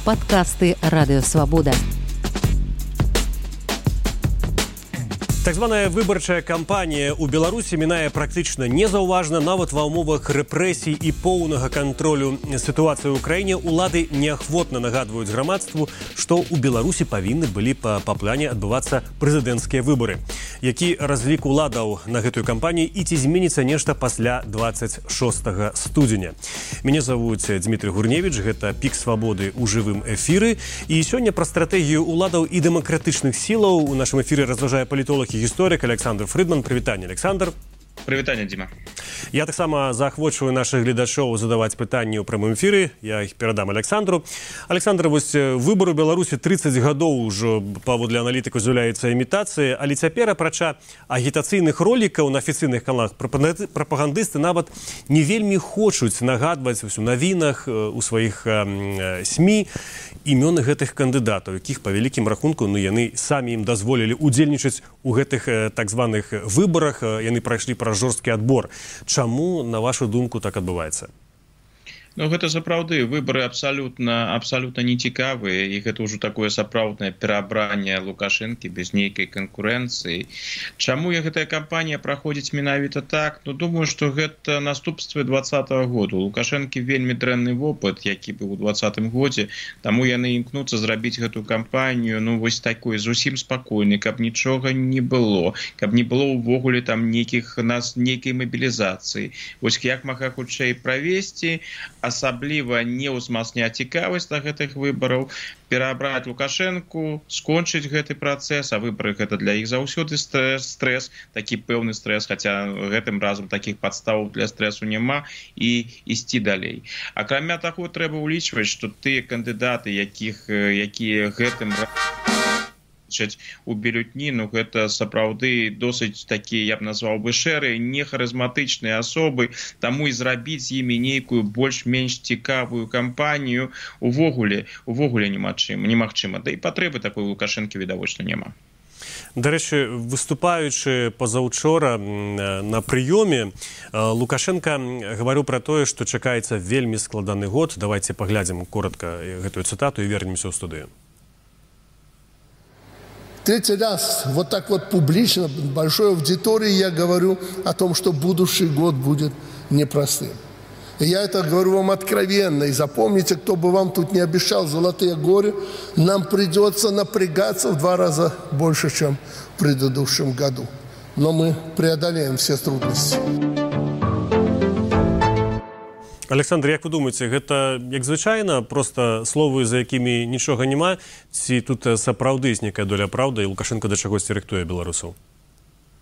Падкасты Радыё Свабода. Так званая выбарчая кампанія ў Беларусі мінае практычна незаўважна, нават ва ўмовах рэпрэсій і поўнага кантролю сітуацыі ў краіне улады неахвотна нагадваюць грамадству, што ў Беларусі павінны былі па плане адбывацца прэзідэнцкія выбары. Які разлік уладаў на гэтую кампанію і ці зменіцца нешта пасля 26 студзеня. Мяне завуць Дмітрий Гурневіч, гэта Пік Свабоды ў жывым эфіры. І сёння пра стратэгію уладаў і дэмакратычных сілаў у нашым эфіры разважае палітолог і гісторык Александр Фрыдман. Прывітанне, Александр. Прывітанне, Дзіма. Я таксама заахвочваю нашых гледачоў задаваць пытанні ў прамым эфіры. Я іх перадам Александру. Александр, вось выбар у Беларусі 30 гадоў ужо паводле аналітыкаў з'яўляецца імітацыяй, але цяпер, апрача агітацыйных ролікаў на афіцыйных каналах, прапагандысты нават не вельмі хочуць нагадваць у навінах, у сваіх СМІ імёны гэтых кандыдатаў, якіх па вялікім рахунку яны самі ім дазволілі удзельнічаць у гэтых так званых выбарах. Яны прайшлі праз жорсткі адбор. Чаму, на вашу думку, так адбываецца? Ну, гэта сапраўды выбары абсалютна нецікавыя, і гэта ўжо такое сапраўднае пераабранне Лукашэнкі без нейкай канкурэнцыі. Чаму гэтая кампанія праходзіць менавіта так? Ну, думаю, што гэта наступствы 2020 году. У Лукашэнкі вельмі дрэнны вопыт, які быў у 2020 годзе, таму яны імкнуцца зрабіць гэту кампанію, ну, вось такой зусім спакойнай, каб нічога не было, каб не было ўвогуле там нейкай мабілізацыі. Вось як мага хутчэй правесці, асабліва не ўзмацняць цікавасць да гэтых выбараў, пераабраць Лукашэнку, скончыць гэты працэс, а выбары гэта для іх заўсёды стресс, такі пэўны стресс, хаця гэтым разам такіх падставаў для стрэсу няма, і ісці далей. Акрамя таго, трэба ўлічваць, што тыя кандыдаты, якія гэтым у бюлетні, ну гэта сапраўды досыць такія, я б назваў бы, шэрыя, нехарызматычныя асобы, таму і зрабіць з імі нейкую больш-менш цікавую кампанію увогуле немагчыма. Да і патрэбы такой Лукашэнкі відавочна няма. Дарэчы, выступаючы пазаўчора на прыёме, Лукашенко гаварыў пра тое, што чакаецца вельмі складаны год. Давайте паглядзім коротка гэтую цытату і вернемся ў студыю. Третий раз вот так вот публично, большой аудитории я говорю о том, что будущий год будет непростым. И я это говорю вам откровенно. И запомните, кто бы вам тут не обещал золотые горы, нам придется напрягаться в 2 раза больше, чем в предыдущем году. Но мы преодолеем все трудности. Александр, як вы думаеце, гэта як звычайна, проста словы, за якімі нічога няма, ці тут сапраўды ёсць нейкая доля праўды, і Лукашенко да чагосьці рыхтуе беларусаў?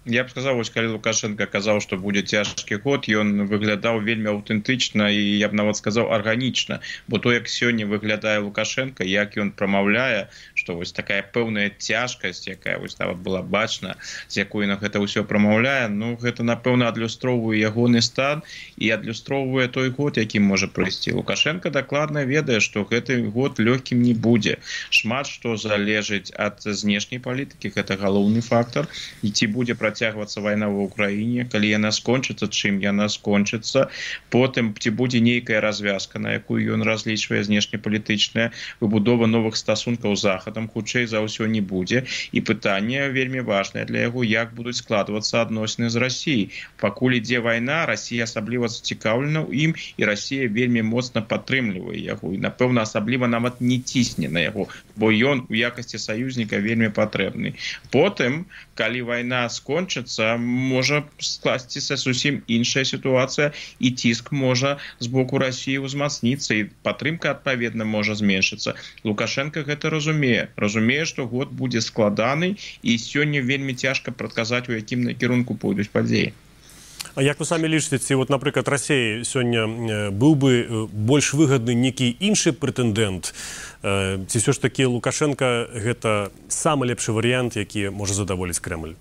Я б сказаў, вось калі Лукашенко казаў, што будзе цяжкі год, ён выглядаў вельмі аўтэнтычна і, я б нават сказаў, арганічна. Бо то, як сёння выглядае Лукашенко, як ён прамаўляе, што вось такая пэўная цяжкасць, якая вось нават была бачна, з якой на гэта ўсё прамаўляе, ну, гэта, напэўна, адлюстроўвае ягоны стан і адлюстроўвае той год, якім можа прыйсці. Лукашенко дакладна ведае, што гэты год лёгкім не будзе. Шмат што залежыць ад знешняй палітыкі, гэта галоўны фактар, і ці будзе працягвацца вайна ва ўкраіне, калі яна скончыцца, чым яна скончыцца, потым ці будзе нейкая развязка, на якую ён разлічвае знешнепалітычная, выбудова новых стасункаў з захадам, хутчэй за ўсё не будзе, і пытанне вельмі важнае для яго, як будуць складвацца адносіны з Расіяй. Пакуль ідзе вайна, Расія асабліва зацікаўлена ў ім, і Расія вельмі моцна падтрымлівае яго, і, напэўна, асабліва нават не цісне на яго, бо ён у якасці саюзніка вельмі патрэбны. Потым, калі вайна скончыцца, можа скласціся зусім іншая сітуацыя, і ціск можа з боку Расіі ўзмацніцца, і падтрымка, адпаведна, можа зменшыцца. Лукашенко гэта разумее, што год будзе складаны, і сёння вельмі цяжка прадказаць, у якім накірунку пойдуць падзеі. А як вы самі лічыце, ці, вот, напрыклад, Расіі сёння быў бы больш выгадны нейкі іншы прэтэндэнт, ці ўсё ж такі Лукашенко гэта самы лепшы варыянт, які можа задаволіць Крэмль?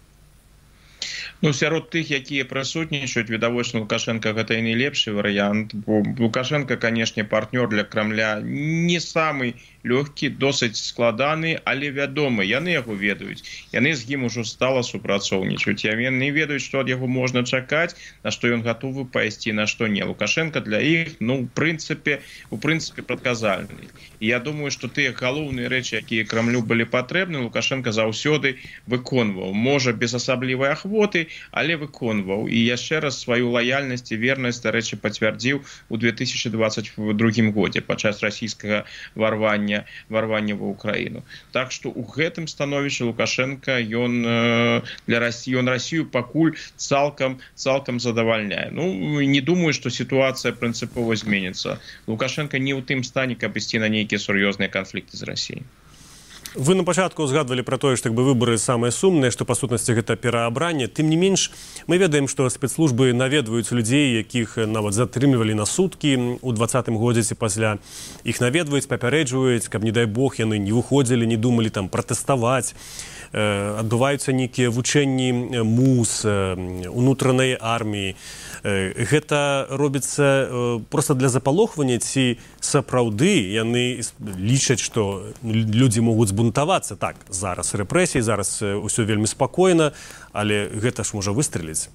Ну, сярод тых, якія прысутнічаюць, відавочна, Лукашенко гэта і не лепшы варыянт, бо Лукашенко, канешне, партнёр для Крамля не самы лёгкі, досыць складаны, але вядомы. Яны яго ведаюць. Яны з ім ужо стала супрацоўнічаць. Яны ведаюць, што ад яго можна чакаць, на што ён гатовы пайсці, на што не. Лукашенко для іх, у прынцыпе прадказальны. І я думаю, што тыя галоўныя рэчы, якія Крамлю былі патрэбны, Лукашенко заўсёды выконваў. Можа, без асаблівай ахвоты, але выконваў. І яшчэ раз сваю лаяльнасць і вернасць, дарэчы, пацвярдзіў у 2022 годзе падчас расійскага варвання ва ўкраіну. Так што ў гэтым становішчы Лукашенко ён Расію пакуль цалкам задавальняе. Не думаю, што сітуацыя прынцыпова зменіцца. Лукашенко не ў тым стане, каб ісці на нейкія сур'ёзныя канфлікты з Расіяй. Вы на пачатку згадвалі пра тое, што выбары самыя сумныя, што па сутнасці гэта пераабранне. Тым не менш, мы ведаем, што спецслужбы наведваюць людзей, якіх нават затрымлівалі на суткі ў 2020 годзе ці пасля. Іх наведваюць, папярэджваюць, каб, не дай Бог, яны не выходзілі, не думалі пратэставаць. Адбываюцца нейкія вучэнні МУС, унутранай арміі. Гэта робіцца проста для запалохвання, ці сапраўды яны лічаць, што людзі могуць збунтавацца. Так, зараз рэпрэсіі, зараз усё вельмі спакойна, але гэта ж можа выстрэліць.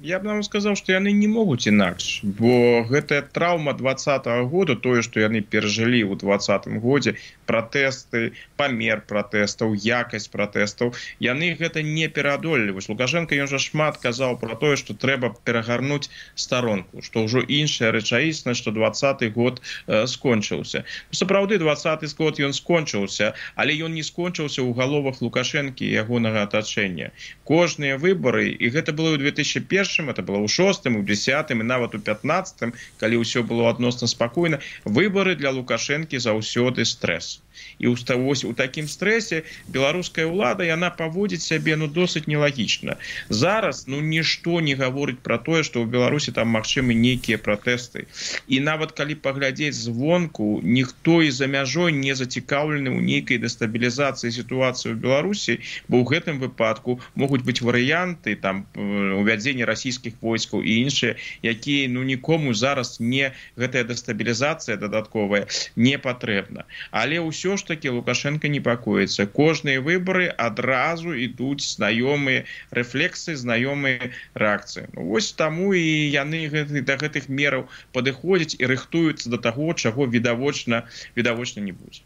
Я б нам сказаў, што яны не могуць інакш, бо гэтая траўма 2020 года, тое, што яны перажылі ў 2020 годзе, пратэсты, памер пратэстаў, якасць пратэстаў, яны гэта не пераадолелі. Лукашенко, ён жа шмат казаў пра тое, што трэба перагарнуць старонку, што ўжо іншая рэчаіснасць, што 2020 год скончыўся. Сапраўды, 2020 год ён скончыўся, але ён не скончыўся ў галовах Лукашэнкі і ягонага атачэння. Кожныя выбары, і гэта было ў 2001, это было ў 6, у 10 і нават у 15, калі ўсё было адносна спакойна, выбары для Лукашэнкі заўсёды стрэс. І у такім стрэсе беларуская ўлада, яна паводзіць сябе досыць нелагічна. Зараз нішто не гаворыць пра тое, што ў Беларусі там магчымы нейкія пратэсты. І нават калі паглядзець звонку, ніхто і за мяжой не зацікаўлены ў нейкай дэстабілізацыі сітуацыі ў Беларусі, бо ў гэтым выпадку могуць быць варыянты увядзення расійскіх войскаў і іншыя, якія нікому зараз гэтая дэстабілізацыя дадатковая не патрэбна. Але ўсё ж таки Лукашенко непакоіцца. Кожныя выбары адразу ідуць знаёмыя рэфлексы, знаёмыя рэакцыі. Вось таму і яны да гэтых мераў падыходзяць і рыхтуюцца да таго, чаго відавочна не будзе.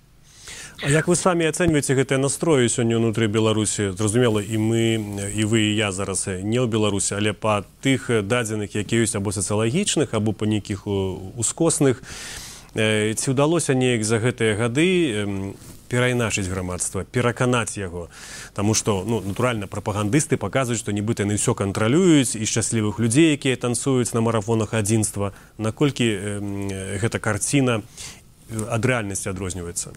А як вы самі ацэньваеце гэтыя настроі сёння ўнутры Беларусі? Зразумела, і мы, і вы, і я зараз не ў Беларусі, але па тых дадзеных, якія ёсць або сацыялагічных, або па нейкіх ускосных, ці ўдалося неяк за гэтыя гады перайначыць грамадства, пераканаць яго? Таму што, натуральна, прапагандысты паказваюць, што нібыта яны ўсё кантралююць, і шчаслівых людзей, якія танцуюць на марафонах адзінства. Наколькі гэта карціна ад рэальнасці адрозніваецца?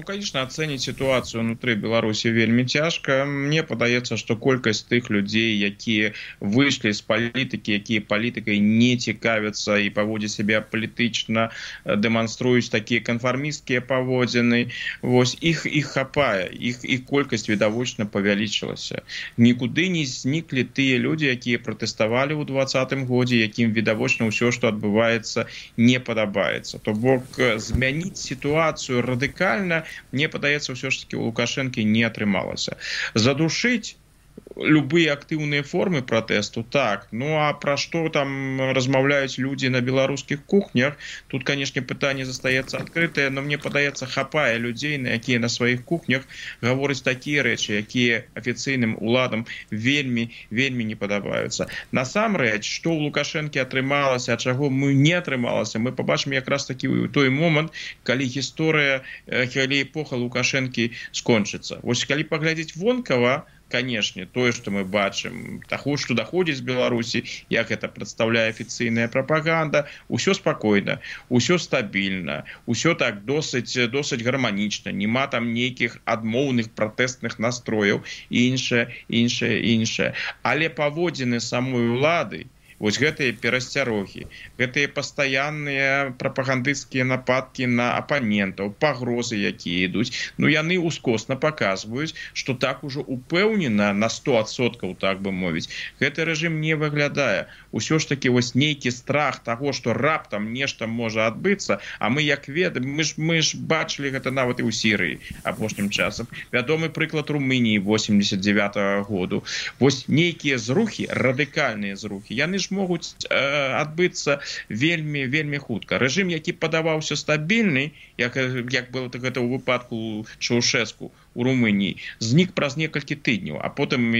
Конечно, ацэніць сітуацыю ўнутры Беларусі вельмі цяжка. Мне падаецца, што колькасць тых людзей, якія выйшлі з палітыкі, якія палітыкай не цікавяцца і паводзяць сябе апалітычна, дэманструюць такія канфармісцкія паводзіны, вось іх хапае, іх колькасць відавочна павялічылася. Нікуды не зніклі тыя людзі, якія пратэставалі ў 2020 годзе, якім відавочна ўсё, што адбываецца, не падабаецца. То бок змяніць сітуацыю радыкальна, мне падаецца, ўсё ж таки у Лукашэнкі не атрымалася. Задушыць любыя актыўныя формы пратэсту, так. А пра што там размаўляюць людзі на беларускіх кухнях, тут, канешне, пытанне застаецца адкрытае, но мне падаецца, хапае людзей, якія на сваіх кухнях гавораць такія рэчы, якія афіцыйным уладам вельмі не падабаюцца. Насамрэч, што ў Лукашэнкі атрымалася, а чаго не атрымалася, мы пабачым якраз такі ў той момант, калі эпоха Лукашэнкі скончыцца. Вось калі паглядзець вонкава, канешне, тое, што мы бачым, таго, што даходзіць з Беларусі, як гэта прадстаўляе афіцыйная прапаганда, усё спакойна, усё стабільна, усё так досыць гарманічна, нема там нейкіх адмоўных пратэстных настрояў і іншае. Але паводзіны самой улады, вось гэтыя перасцярогі, гэтыя пастаянныя прапагандысцкія нападкі на апанентаў, пагрозы, якія ідуць, ну яны ускосна паказваюць, што так ужо упэўнена на 100%, так бы мовіць, гэты рэжым не выглядае. Усё ж таки вось нейкі страх таго, што раптам нешта можа адбыцца, а мы як ведаем, мы ж бачылі гэта нават і ў Сірыі апошнім часам. Вядомы прыклад Румыніі 89-го году. Вось нейкія зрухі, радыкальныя зрухі, яны ж могуць адбыцца вельмі хутка. Рэжым, які падаваўся стабільны, як было гэта ў выпадку Чаушэску у Румыніі, знік праз некалькі тыдняў, а потым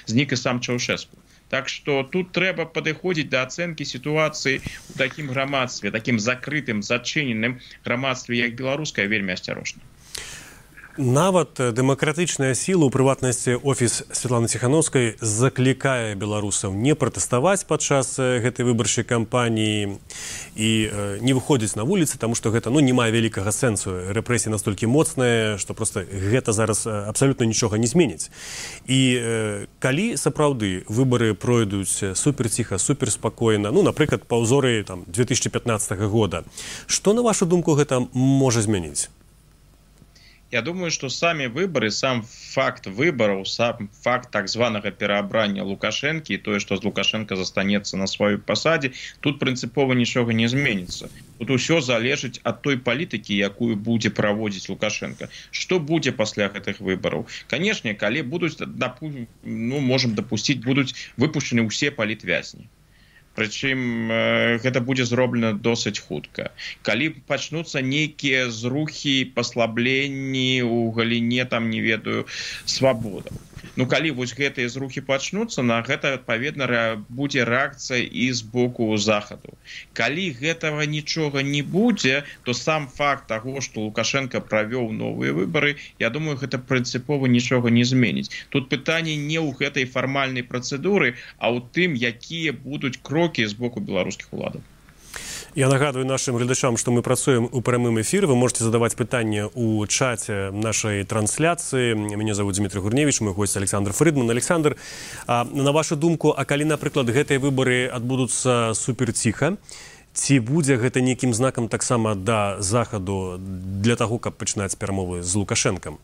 знік і сам Чаушэску. Так што тут трэба падыходзіць да ацэнкі сітуацыі ў такім грамадстве, такім закрытым, зачыненым грамадстве, як беларускае, вельмі асцярожна. Нават дэмакратычная сіла, у прыватнасці офіс Святланы Ціхановскай, заклікае беларусаў не пратэставаць падчас гэтай выбарчай кампаніі і не выходзіць на вуліцы, таму што гэта не мае вялікага сэнсу. Рэпрэсіі настолькі моцныя, што проста гэта зараз абсалютна нічога не зменіць. І калі сапраўды выбары пройдуць суперціха, суперспакойна, напрыклад, па ўзоры 2015 года, што, на вашу думку, гэта можа змяніць? Я думаю, что сами выборы, сам факт выборов, сам факт так званого переобрания Лукашенко и то, что Лукашенко застанется на своей посаде, тут принципово ничего не изменится. Тут все залежить от той политики, якую будет проводить Лукашенко. Что будет после этих выборов? Конечно, коли будут, можем допустить, будут выпущены все политвязни. Прычым гэта будзе зроблена досыць хутка. Калі пачнуцца нейкія зрухі, паслабленні ў галіне, не ведаю, свабодаў. Калі вось гэтыя зрухі пачнуцца, на гэта, адпаведна, будзе рэакцыя і з боку захаду. Калі гэтага нічога не будзе, то сам факт таго, што Лукашенко правёў новыя выбары, я думаю, гэта прынцыпова нічога не зменіць. Тут пытанне не ў гэтай фармальнай працэдуры, а ў тым, якія будуць крокі з боку беларускіх уладаў. Я нагадую нашим глядачам, что мы працуем у прямым эфире. Вы можете задавать питания у чате нашей трансляции. Меня зовут Дмитрий Гурневич, мой гость Александр Фридман. Александр, на вашу думку, а калі, напрыклад, гэтыя выборы адбудуцца суперціха, ці будзе гэта нейкім знакам таксама да захаду для таго, каб пачынаць перамовы з Лукашэнкам?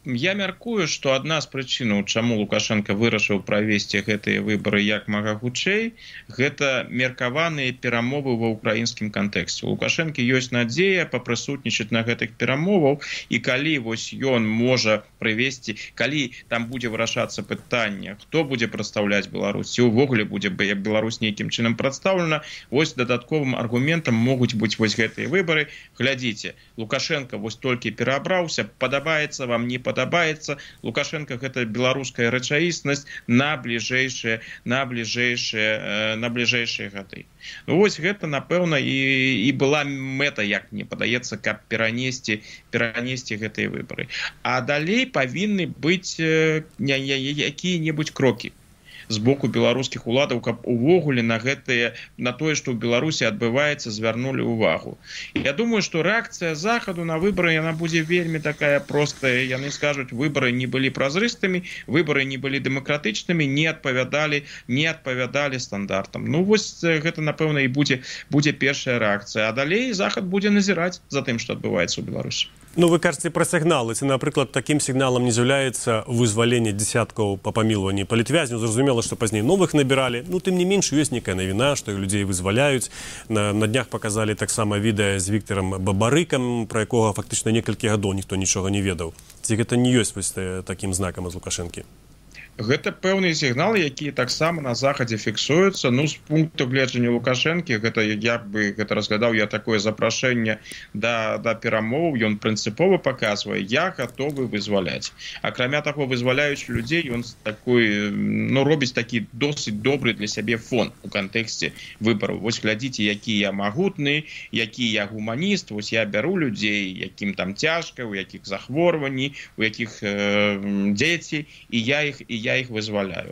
Я мяркую, што адна з прычынаў, чаму Лукашенко вырашыў правесці гэтыя выбары як мага хутчэй, гэта меркаваныя перамовы ва ўкраінскім кантэксце. У Лукашенко ёсць надзея папрысутнічаць на гэтых перамоваў, і калі вось ён можа прывесці, калі там будзе вырашацца пытанне, хто будзе прадстаўляць Беларусь, ці ўвогуле будзе Беларусь нейкім чынам прадстаўлена, вось дадатковым аргументам могуць быць вось гэтыя выбары. Глядзіце, Лукашенко вось толькі пераабраўся, падабаецца вам, не падабаецца, Лукашенко гэта беларуская рэчаіснасць на бліжэйшыя гады. Вось гэта, напэўна, і была мэта, як мне падаецца, каб перанесці гэтыя выбары. А далей павінны быць якія-небудзь крокі з боку беларускіх уладаў, каб увогуле на тое, што ў Беларусі адбываецца, звярнулі ўвагу. Я думаю, што рэакцыя захаду на выбары, яна будзе вельмі такая простая. Яны скажуць, выбары не былі празрыстымі, выбары не былі дэмакратычнымі, не адпавядалі стандартам. Вось гэта, напэўна, і будзе першая рэакцыя. А далей захад будзе назіраць за тым, што адбываецца ў Беларусі. Вы кажаце пра сігналы. Ці, напрыклад, такім сігналам не з'яўляецца вызваленне дзесяткаў па памілванні палітвязняў. Зразумела, што пазней новых набіралі. Тым не менш, ёсць нейкая навіна, што людзей вызваляюць. На днях паказалі таксама відэа з Віктарам Бабарыкам, пра якога фактычна некалькі гадоў ніхто нічога не ведаў. Ці гэта не ёсць вось такім знакам з Лукашэнкі? Гэта пэўныя сігналы, якія таксама на захадзе фіксуюцца. З пункту гледжання Лукашэнкі, я бы разглядаў такое запрашэнне да перамоў. Ён прынцыпова паказвае, я гатовы вызваляць. Акрамя таго, вызваляючы людзей, ён робіць такі досыць добры для сябе фон у кантэксце выбараў. Вось глядзіце, які я магутны, які я гуманіст, вось я бяру людзей, якім там цяжка, у якіх захворванні, у якіх дзеці, і я іх вызваляю.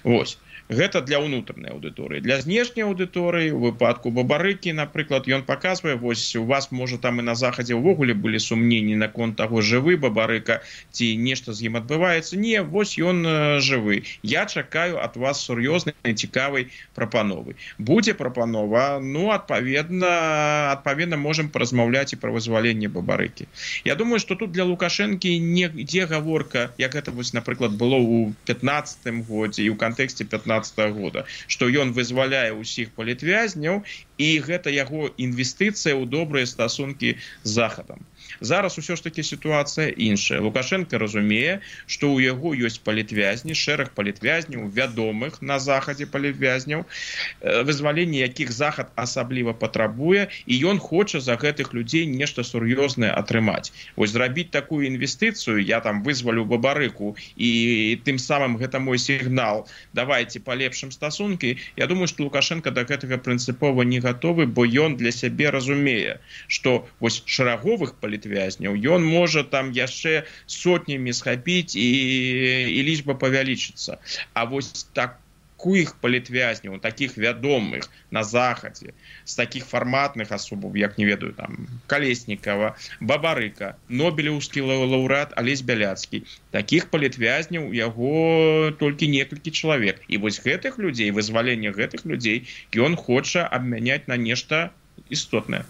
Вось. Гэта для ўнутранай аўдыторыі. Для знешняй аўдыторыі, у выпадку Бабарыкі, напрыклад, ён паказвае, вось у вас, можа, там і на захадзе ўвогуле былі сумненні наконт таго, жывы Бабарыка, ці нешта з ім адбываецца. Не, вось ён жывы. Я чакаю ад вас сур'ёзнай, цікавай прапановы. Будзе прапанова, ну, адпаведна можам паразмаўляць і пра вызваленне Бабарыкі. Я думаю, што тут для Лукашэнкі не ідзе гаворка, як гэта, вось, напрыклад, было ў 15-м годзе і ў кантэксце 15-го года, што ён вызваляе ўсіх палітвязняў, і гэта яго інвестыцыя ў добрыя стасункі з Захадам. Зараз усё ж такі сітуацыя іншая. Лукашенко разумее, што ў яго ёсць палітвязні, шэраг палітвязняў, вядомых на Захадзе палітвязняў, вызваленне якіх Захад асабліва патрабуе, і ён хоча за гэтых людзей нешта сур'ёзнае атрымаць. Вось зрабіць такую інвестыцыю, я там вызвалю Бабарыку, і тым самым гэта мой сігнал, давайте палепшым стасункі. Я думаю, што Лукашенко да гэтага прынцыпова не гатовы, бо ён для сябе разумее, што вось шараговых палітвязняў ён можа там яшчэ сотнямі схапіць і лічба павялічыцца. А вось таких палітвязняў, таких вядомых на Захадзе, з такіх фарматных асобаў, як, не ведаю, там, Калеснікава, Бабарыка, Нобелеўскі лаўрэат Алесь Бяляцкі, таких палітвязняў яго толькі некалькі чалавек. І вось гэтых людзей, вызваленне гэтых людзей ён хоча абмяняць на нешта істотнае.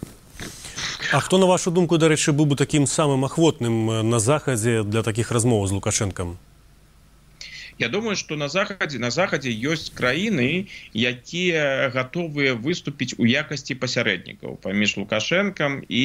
А хто, на вашу думку, дарэчы, быў бы такім самым ахвотным на Захадзе для такіх размоў з Лукашэнкам? Я думаю, што на Захадзе ёсць краіны, якія гатовыя выступіць у якасці пасярэднікаў паміж Лукашэнкам і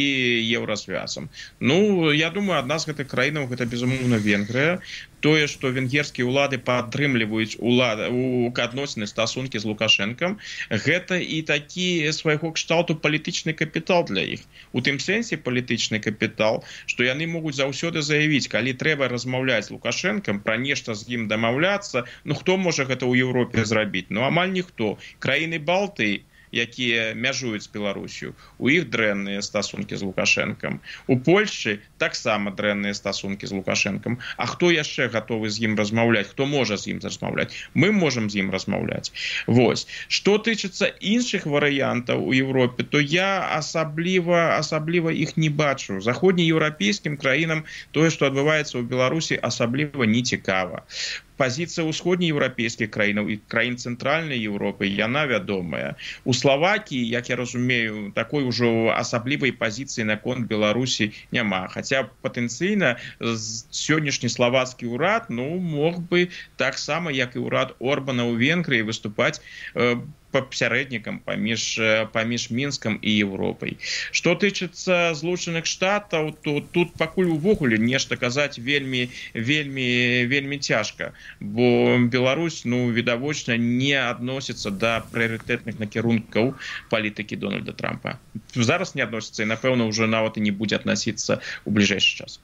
Еўразвязам. Ну, я думаю, адна з гэтых краінаў гэта, безумоўна, Венгрыя. Тое, што венгерскія ўлады падтрымліваюць адносіны, стасункі з Лукашэнкам, гэта і такі свайго кшталту палітычны капітал для іх. У тым сэнсе палітычны капітал, што яны могуць заўсёды заявіць, калі трэба размаўляць з Лукашэнкам, пра нешта з ім дамаўляцца, ну хто можа гэта ў Еўропе зрабіць? Ну амаль ніхто. Краіны Балтыі, якія мяжуюць з Беларусю, у іх дрэнныя стасункі з Лукашэнкам. У Польшчы таксама дрэнныя стасункі з Лукашэнкам. А хто яшчэ гатовы з ім размаўляць? Хто можа з ім размаўляць? Мы можам з ім размаўляць. Вось. Што тычыцца іншых варыянтаў у Еўропе, то я асабліва іх не бачу. Заходнееўрапейскім краінам тое, што адбываецца ў Беларусі, асабліва не цікава. Пазіцыя ўсходнееўрапейскіх краінаў і краін цэнтральнай Еўропы, яна вядомая. У Славакіі, як я разумею, такой ужо асаблівай пазіцыі наконт Беларусі няма. Хаця патэнцыйна сённяшні славацкі ўрад, ну, мог бы таксама, як і ўрад Орбана ў Венгрыі, выступаць пасярэднікам паміж Мінскам і Еўропай. Што тычыцца Злучаных Штатаў, то тут пакуль увогуле нешта казаць вельмі цяжка, бо Беларусь, ну, відавочна, не адносіцца да прыярытэтных накірункаў палітыкі Дональда Трампа. Зараз не адносіцца і, напэўна, ўжо нават і не будзе адносіцца ў бліжэйшы час.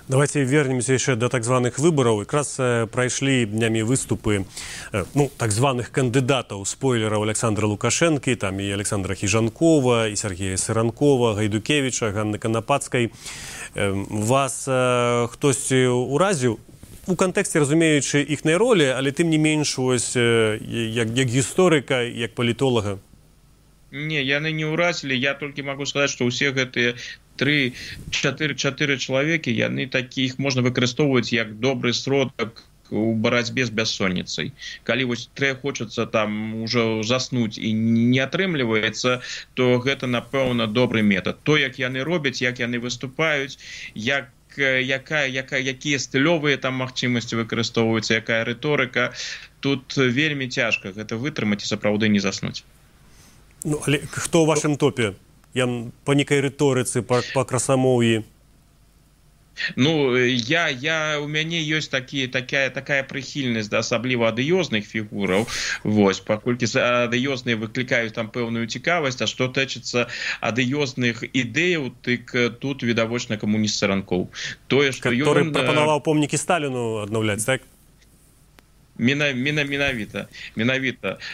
Давайте вернемся яшчэ да так званых выбараў. Якраз прайшлі днямі выступы так званых кандыдатаў, спойлераў Александра Лукашэнкі, там і Александра Хіжанкова, і Сергея Сыранкова, Гайдукевіча, Ганны Канапацкай. Вас хтосьці ўразіў? У кантэксце, разумеючы іхнай ролі, але тым не менш, ось, як гісторыка, як палітолага? Не, яны не ўразілі. Я толькі магу сказаць, што ўсе гэтыя 3-4 чалавекі, яны такіх можна выкарыстоўваць як добры сродак у барацьбе з бяссонніцай. Калі вось хочацца там ужо заснуць і не атрымліваецца, то гэта, напэўна, добры метад. То, як яны робяць, як яны выступаюць, якія стылёвыя там магчымасці выкарыстоўваюцца, якая рыторыка, тут вельмі цяжка гэта вытрымаць і сапраўды не заснуць. Ну, але хто ў вашым топе? Я по некай рыторыцы, по красамоўі. Ну, у мяне ёсць такая прыхільнасць да асабліва адыёзных фігураў, вось, паколькі адыёзныя выклікаюць там пэўную цікавасць, а што тычыцца адыёзных ідэяў, тык тут відавочна камуніст Сыранкоў. Тое, што ён прапанаваў помнікі Сталіну аднаўляць, так? Менавіта.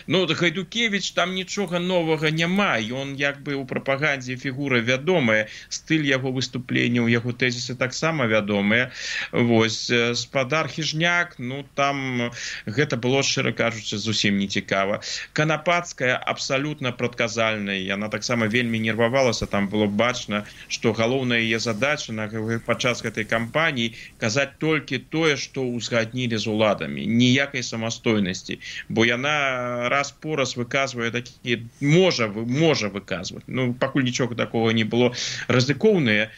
Ну, Гайдукевич, там нічога новага няма. Ён як бы ў прапагандзе фігура вядомая. Стыль яго выступленняў, яго тэзісы таксама вядомыя. Вось, спадар Хіжняк, ну, там гэта было, шчыра кажучы, зусім не цікава. Канапацкая абсалютна прадказальная. Яна таксама вельмі нервавалася. Там было бачна, што галоўная яе задача падчас гэтай кампаніі казаць толькі тое, што ўзгаднілі з уладамі. Ніякай самастойнасці, бо яна раз-пораз выказвае такі, можа выказваць. Ну, пакуль нічога такога не было. Рызыкоўнымі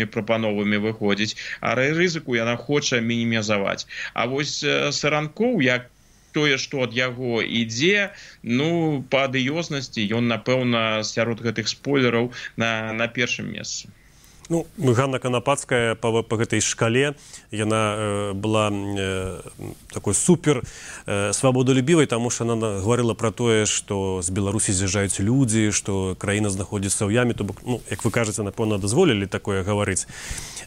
прапановамі выходзіць, а рызыку яна хоча мінімізаваць. А вось Саранкоў, як тое, што ад яго ідзе, ну, па адыёзнасці ён, напэўна, сярод гэтых спойлераў на першым месцы. Ну, Ганна Канапацкая по гэтай шкале, яна была такой супер свабодолюбівай, таму што яна гаварыла пра тое, што з Беларусі з'язджаюць людзі, што краіна знаходзіцца ў яме, то бок, ну, як вы кажаце, напэўна, дазволілі такое гаварыць.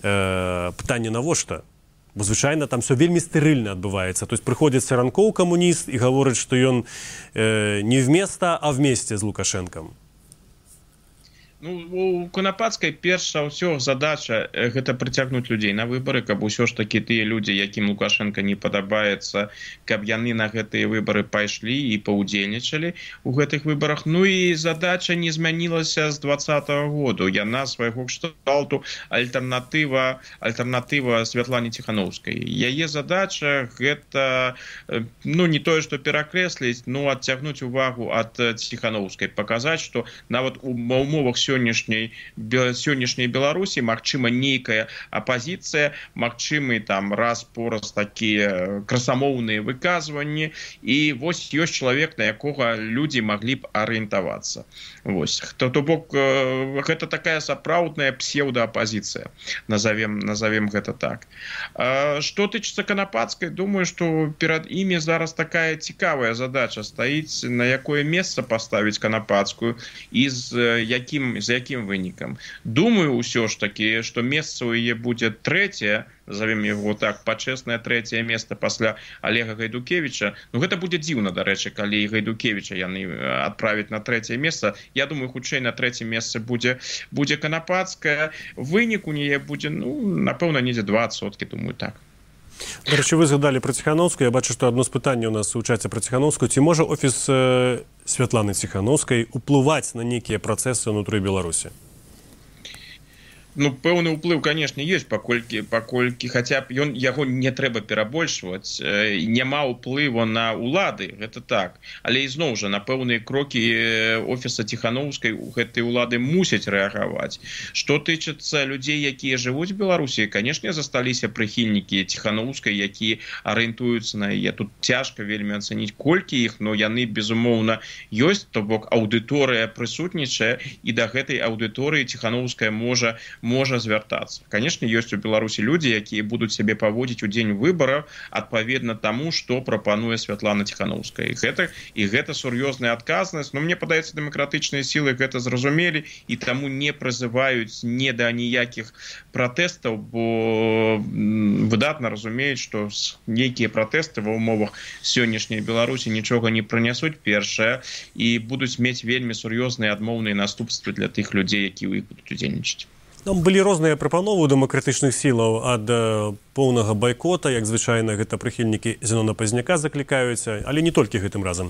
Пытанне навошта? Бо, звычайна, там все вельмі стэрыльна адбываецца. То есть прыходзіць Саранкоў, камуніст, і гаворыць, што ён не вместо, а вместе з Лукашэнкам. Ну, у Канапацкай перш за ўсё задача гэта прыцягнуць людзей на выбары, каб усё ж такі тыя людзі, якім Лукашенко не падабаецца, каб яны на гэтыя выбары пайшлі і паўдзельнічалі ў гэтых выбарах. Ну і задача не змянілася з 2020 году. Яна свайго кшталту альтэрнатыва Святлане Ціханаўскай. Яе задача гэта, ну, не тое, што перакрэсліць, но адцягнуць увагу ад Ціханаўскай, паказаць, што нават у умовах сённяшняй Беларусі магчыма нейкая апазіцыя, магчымы там раз-пораз такія красамоўныя выказванні, і вось ёсць чалавек, на якога людзі маглі б арыентавацца. Вось. То бок гэта такая сапраўдная псеўдаапазіцыя, назовем гэта так. Што тычыцца Канапацкай, думаю, што перад імі зараз такая цікавая задача стаіць, на якое месца паставіць Канапацкую і з якім вынікам. Думаю, ўсё ж такі, што месца ў яе будзе трэцяе, назовем яго так, пачэснае трэцяе месца пасля Олега Гайдукевіча. Ну, гэта будзе дзіўна, дарэчы, калі Гайдукевіча яны адправяць на трэцяе месца. Я думаю, хутчэй на трэцяе месца будзе Канапацкая. Вынік у яе будзе, ну, напэўна, недзе 20%, думаю, так. Дарэчы, вы згадалі пра Ціханаўскую. Я бачу, што адно з пытанняў у нас у чаце пра Ціханаўскую. Ці можа офіс Святланы Ціханаўскай уплываць на нейкія працэсы ўнутры Беларусі? Ну, пэўны ўплыў, канешне, ёсць, паколькі хаця б яго не трэба перабольшваць, няма ўплыву на ўлады, гэта так. Але ізноў жа, на пэўныя крокі офіса Ціханаўскай гэтыя ўлады мусяць рэагаваць. Што тычыцца людзей, якія жывуць в Беларусі, канешне, засталіся прыхільнікі Ціханаўскай, якія арыентуюцца на яе. Тут цяжка вельмі ацаніць, колькі іх, но яны, безумоўна, ёсць, то бок аўдыторыя прысутнічае, і да гэтай аўдыторыі Ціханаўская можа звяртацца. Канешне, ёсць у Беларусі людзі, якія будуць сябе паводзіць у дзень выбараў адпаведна таму, што прапануе Святлана Ціханаўская. І гэта сур'ёзная адказнасць. Но мне падаецца, дэмакратычныя сілы гэта зразумелі і таму не прызываюць не да ніякіх пратэстаў, бо выдатна разумеюць, што нейкія пратэсты ва ўмовах сённяшняй Беларусі нічога не прынясуць, першае, і будуць мець вельмі сур'ёзныя адмоўныя наступствы для тых людзей, якія ў іх будуць удзельнічаць. Там былі розныя прапановы дэмакратычных сілаў ад поўнага байкота, як звычайна гэта прыхільнікі Зенона Пазняка заклікаюць, але не толькі гэтым разам.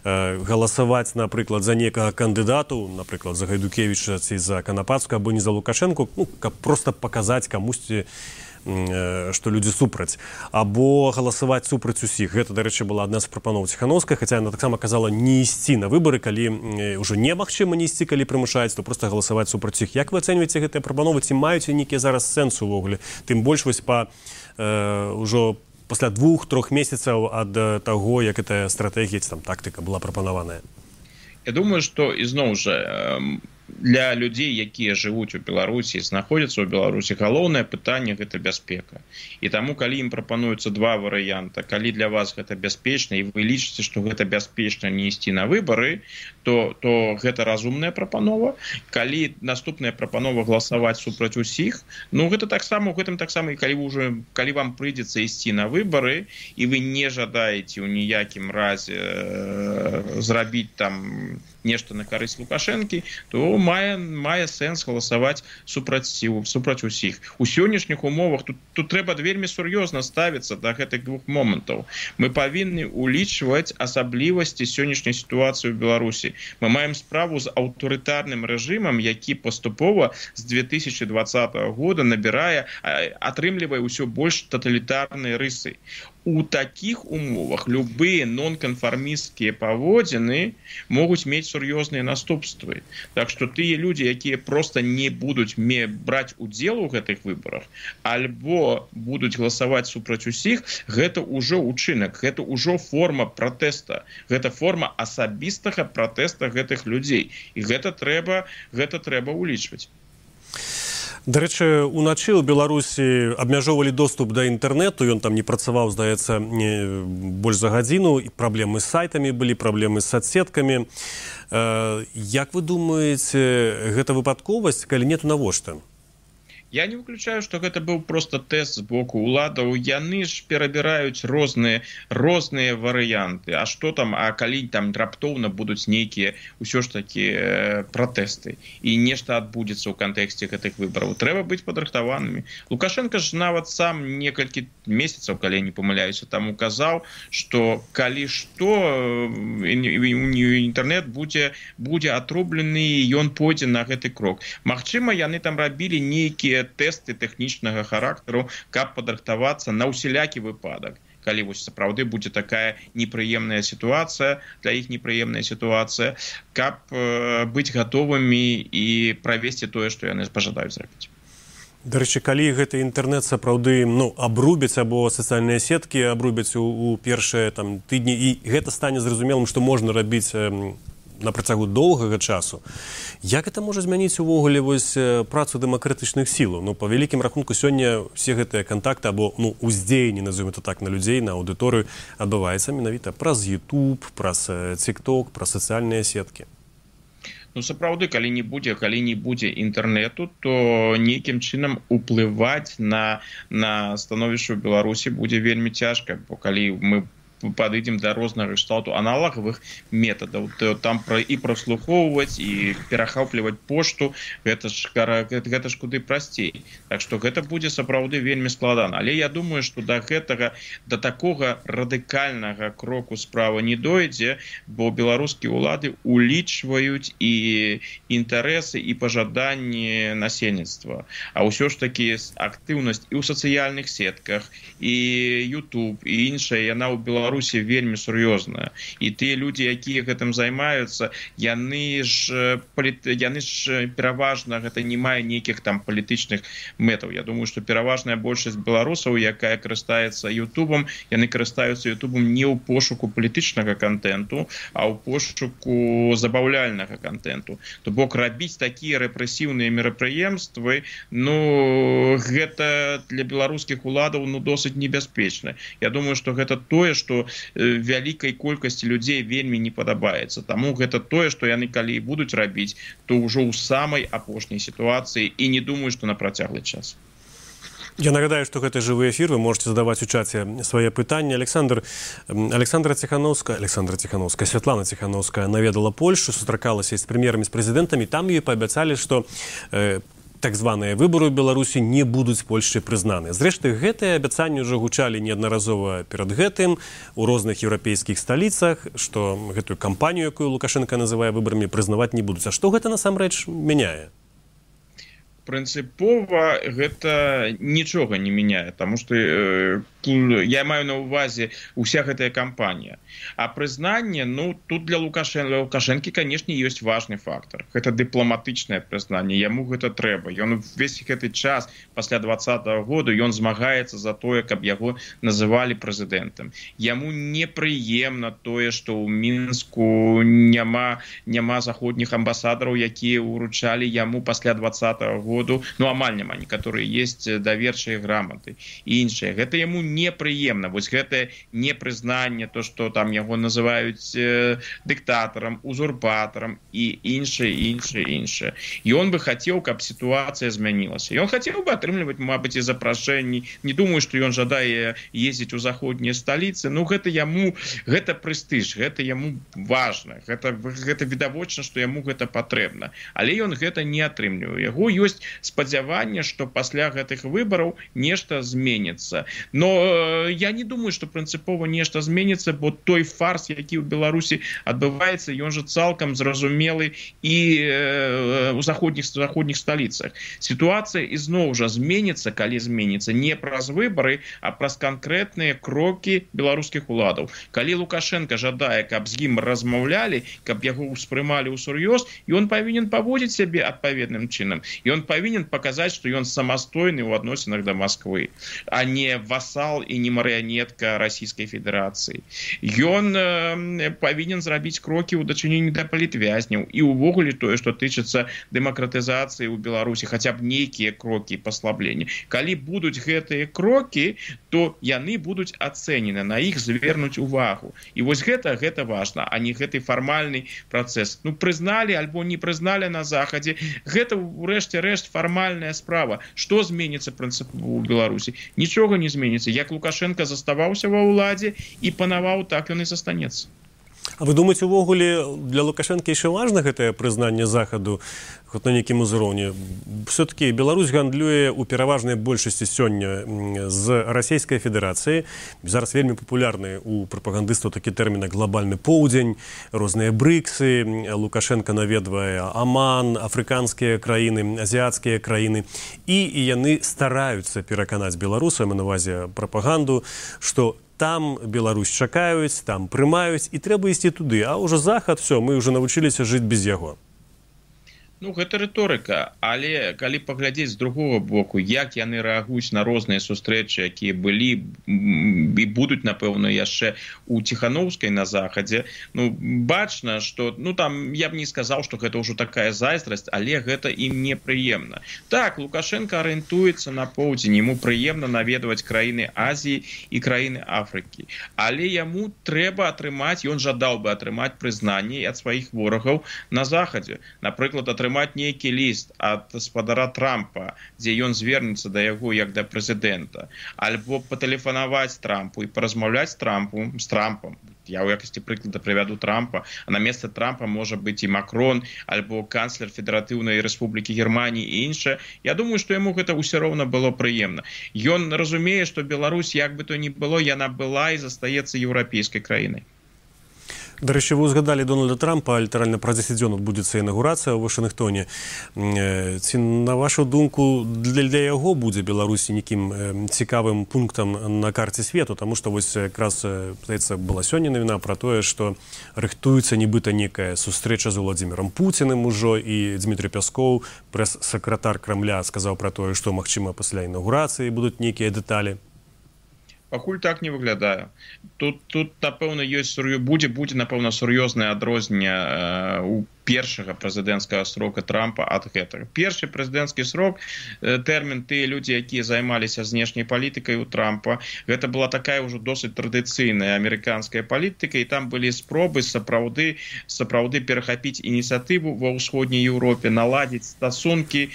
Галасаваць, напрыклад, за некага кандыдату, напрыклад, за Гайдукевіча ці за Канапацкую, або не за Лукашэнку, ну, каб проста паказаць камусьці, што людзі супраць, або галасаваць супраць усіх. Гэта, дарэчы, была адна з прапаноў Ціханаўскай, хаця яна таксама казала не ісці на выбары, калі ўжо немагчыма не ісці, калі прымушаюць, то проста галасаваць супраць іх. Як вы ацэньваеце гэтыя прапановы? Ці маюць нейкія зараз сэнс увогуле? Тым больш вось ўжо пасля 2-3 месяцаў ад таго, як гэтая стратэгія ці там тактыка была прапанаваная. Я думаю, што ізноў жа для людзей, якія жывуць у Беларусі, знаходзяцца ў Беларусі, галоўнае пытанне – гэта бяспека. І таму, калі ім прапануюцца два варыянта, калі для вас гэта бяспечна, і вы лічыце, што гэта бяспечна не ісці на выбары, то гэта разумная прапанова. Калі наступная прапанова галасаваць супраць усіх, ну гэта таксама, у гэтым таксама, і калі вам прыйдзецца ісці на выбары, і вы не жадаеце ў ніякім разе зрабіць там нешта на карысць Лукашэнкі, то мае сэнс галасаваць супраць усіх. У сённяшніх умовах тут трэба вельмі сур'ёзна ставіцца да гэтых двух момантаў. Мы павінны улічваць асаблівасці сённяшняй сітуацыі ў Беларусі. Мы маем справу з аўтарытарным рэжымам, які паступова з 2020 года атрымлівае ўсё больш таталітарныя рысы. У такіх умовах любыя нонканфармісцкія паводзіны могуць мець сур'ёзныя наступствы. Так што тыя людзі, якія проста не будуць браць удзел у гэтых выбарах, альбо будуць галасаваць супраць усіх, гэта ўжо ўчынак, гэта ўжо форма пратэста, гэта форма асабістага пратэста гэтых людзей. І гэта трэба ўлічваць. Дарэчы, уначы ў Беларусі абмяжоўвалі доступ да інтэрнэту, ён там не працаваў, здаецца, больш за гадзіну, і праблемы з сайтамі былі, праблемы з соцсеткамі. Як вы думаеце, гэта выпадковасць, калі не, то навошта? Я не выключаю, што гэта быў проста тэст з боку ўладаў. Яны ж перабіраюць розныя варыянты. А што там, а калі там раптоўна будуць нейкія ўсё ж такі пратэсты і нешта адбудзецца ў кантэксце гэтых выбараў. Трэба быць падрыхтаванымі. Лукашенко ж нават сам некалькі месяцаў, калі я не памыляюся, там указаў, што калі што інтэрнэт будзе атрублены, і ён пойдзе на гэты крок. Магчыма, яны там рабілі нейкія тэсты тэхнічнага характару, каб падрыхтавацца на ўсялякі выпадак. Калі вось сапраўды будзе такая непрыемная сітуацыя, для іх непрыемная сітуацыя, каб быць гатовымі і правесці тое, што яны пажадаюць зрабіць. Дарэчы, калі гэты інтэрнэт сапраўды абрубяць, або сацыяльныя сеткі абрубяць у першыя тыдні, і гэта стане зразумелым, што можна рабіць на працягу доўгага часу. Як гэта можа змяніць увогуле працу дэмакратычных сілаў? Па вялікім рахунку сёння ўсе гэтыя кантакты або уздзеянні, назовем это так, на людзей, на аўдыторыю адбываецца менавіта праз YouTube, праз TikTok, праз сацыяльныя сеткі. Сапраўды, калі не будзе інтэрнэту, то нейкім чынам уплываць на становішча ў Беларусі будзе вельмі цяжка, бо калі мы падыдзем да рознага кшталту аналагавых метадаў, то там і праслухоўваць, і перахопліваць пошту, гэта ж куды прасцей. Так што гэта будзе сапраўды вельмі складана. Але я думаю, што да такога радыкальнага кроку справа не дойдзе, бо беларускія ўлады улічваюць і інтарэсы, і пажаданні насельніцтва. А ўсё ж такі актыўнасць і ў сацыяльных сетках, і YouTube, і іншая, яна ў Беларусі вельмі сур'ёзная. І тыя людзі, якія гэтым займаюцца, яны ж пераважна гэта не мае нейкіх там палітычных мэтаў. Я думаю, што пераважная большасць беларусаў, якая карыстаецца Ютубам, яны карыстаюцца Ютубам не ў пошуку палітычнага контенту, а ў пошуку забаўляльнага контенту. То бок рабіць такія рэпрэсіўныя мерапрыемствы, гэта для беларускіх уладаў досыць небяспечна. Я думаю, што гэта тое, што вялікай колькасці людзей вельмі не падабаецца. Таму гэта тое, што яны калі будуць рабіць, то ўжо ў самай апошняй сітуацыі, і не думаю, што на працяглы час. Я нагадаю, што гэта жывы эфір, вы можете задаваць у чаце свае пытанні. Святлана Ціхановская наведала Польшу, сустракалася з прэм'ерамі, з прэзідэнтамі, там ёй паабяцалі, што так званыя выбары ў Беларусі не будуць Польшчай прызнаны. Зрэшты, гэтыя абяцанні ўжо гучалі неаднаразова перад гэтым у розных еўрапейскіх сталіцах, што гэтую кампанію, якую Лукашенко называе выбарамі, прызнаваць не будуць. А што гэта насамрэч мяняе? прынцыпова гэта нічога не мяняе, таму што я маю на ўвазе уся гэтая кампанія. А прызнанне, тут для Лукашэнкі, канешне, ёсць важны фактор. Гэта дыпламатычнае прызнанне, яму гэта трэба. Ён увесь гэты час пасля 2020 году ён змагаецца за тое, каб яго называлі прэзідэнтам. Яму непрыемна тое, што ў Мінску няма заходніх амбасадараў, якія ўручалі яму пасля 2020 году, амаль няма, некаторыя есть даверчыя граматы і іншыя. Гэта яму непрыемна. Вось гэтае непрызнанне, то, што там яго называюць дыктатарам, узурпатарам і іншае. Ён бы хацеў, каб сітуацыя змянілася. Ён хацеў бы атрымліваць, мабыць, і запрашэнні. Не думаю, што ён жадае ездзіць у заходнія сталіцы. Гэта прэстыж, гэта яму важна. Гэта відавочна, што яму гэта патрэбна. Але ён гэта не атрымлівае. Яго ёсць спадзяванне, што пасля гэтых выбараў нешта зменіцца. Но я не думаю, што прынцыпова нешта зменіцца, бо той фарс, які ў Беларусі адбываецца, ён жа цалкам зразумелы і ў заходніх сталіцах. Сітуацыя ізноў жа зменіцца, калі зменіцца не праз выбары, а праз канкрэтныя крокі беларускіх уладаў. Калі Лукашенко жадае, каб з ім размаўлялі, каб яго ўспрымалі ўсур'ёз, ён павінен паводзіць сябе адпаведным чынам. Ён павінен паказаць, што ён самастойны ў адносінах да Масквы, а не васал і не марыянетка Расійскай Федэрацыі. Ён павінен зрабіць крокі ў дачыненні да палітвязняў і ўвогуле тое, што тычыцца дэмакратызацыі ў Беларусі, хаця б нейкія крокі паслаблення. Калі будуць гэтыя крокі, то яны будуць ацэнены, на іх звернуць увагу. І вось гэта важна, а не гэты фармальны працэс. Прызналі альбо не прызналі на Захадзе, гэта ўрэшце рэшт фармальная справа. Што зменіцца прынцыпова ў Беларусі? Нічога не зменіцца. Як Лукашенко заставаўся ва ўладзе і панаваў, так ён і застанецца. А вы думаеце, увогуле для Лукашенко яшчэ важна гэтае прызнанне Захаду хоць на нейкім узроўні? Все-таки Беларусь гандлюе ў пераважнай большасці сёння з Расійскай Федэрацыі. Зараз вельмі папулярны у прапагандыстаў такі тэрмін глобальны поўдзень, розныя брыксы. Лукашенко наведвае Аман, афрыканскія краіны, азіяцкія краіны. І яны стараюцца пераканаць беларусаў, на ўвазе прапаганду, што там Беларусь чакаюць, там прымаюць, і трэба ісці туды. А ўжо Захад, мы ўжо навучыліся жыць без яго. Гэта рыторыка, але калі паглядзець з другого боку, як яны рэагуюць на розныя сустрэчы, якія былі і будуць, напэўна, яшчэ у Ціхановскай на Захадзе, бачна, што, там, я б не сказаў, што гэта ўжо такая зайздрасць, але гэта ім непрыемна. Так, Лукашенко арыентуецца на поўдзень, яму прыемна наведваць краіны Азіі і краіны Афрыкі. Але яму трэба атрымаць, ён жадаў бы атрымаць прызнанне ад сваіх ворагаў на Захадзе. Напрыклад, атрымаць нейкі ліст ад гаспадара Трампа, дзе ён звернецца да яго як да прэзідэнта, альбо патэлефанаваць Трампу і паразмаўляць з Трампам. Я ў якасці прыклада прывяду Трампа, а на месца Трампа можа быць і Макрон, альбо канцлер Федэратыўнай Рэспублікі Германіі і іншае. Я думаю, што яму гэта ўсё роўна было прыемна. Ён разумее, што Беларусь, як бы то ні было, яна была і застаецца еўрапейскай краінай. Дарэчы, вы узгадалі Дональда Трампа, літаральна праз 10 дзён адбудзецца інаўгурацыя ў Вашынгтоне. Ці, на вашу думку, для яго будзе Беларусі нейкім цікавым пунктам на карце свету? Таму што вось якраз, здаецца, была сёння навіна пра тое, што рыхтуецца нібыта некая сустрэча з Уладзімірам Пуціним ужо, і Дмітрый Пяскоў, прэс-сакратар Крамля, сказаў пра тое, што, магчыма, пасля інаўгурацыі будуць нейкія дэталі. Пакуль так не выглядае. Тут напэўна, будзе, напэўна, сур'ёзнае адрозненне у першага прэзідэнцкага срока Трампа ад гэтага. Першы прэзідэнцкі срок, тэрмін тыя людзі, якія займаліся знешняй палітыкай у Трампа, гэта была такая ўжо досыць традыцыйная амерыканская палітыка, і там былі спробы сапраўды перахапіць ініцыятыву ва ўсходняй Еўропе, наладзіць стасункі,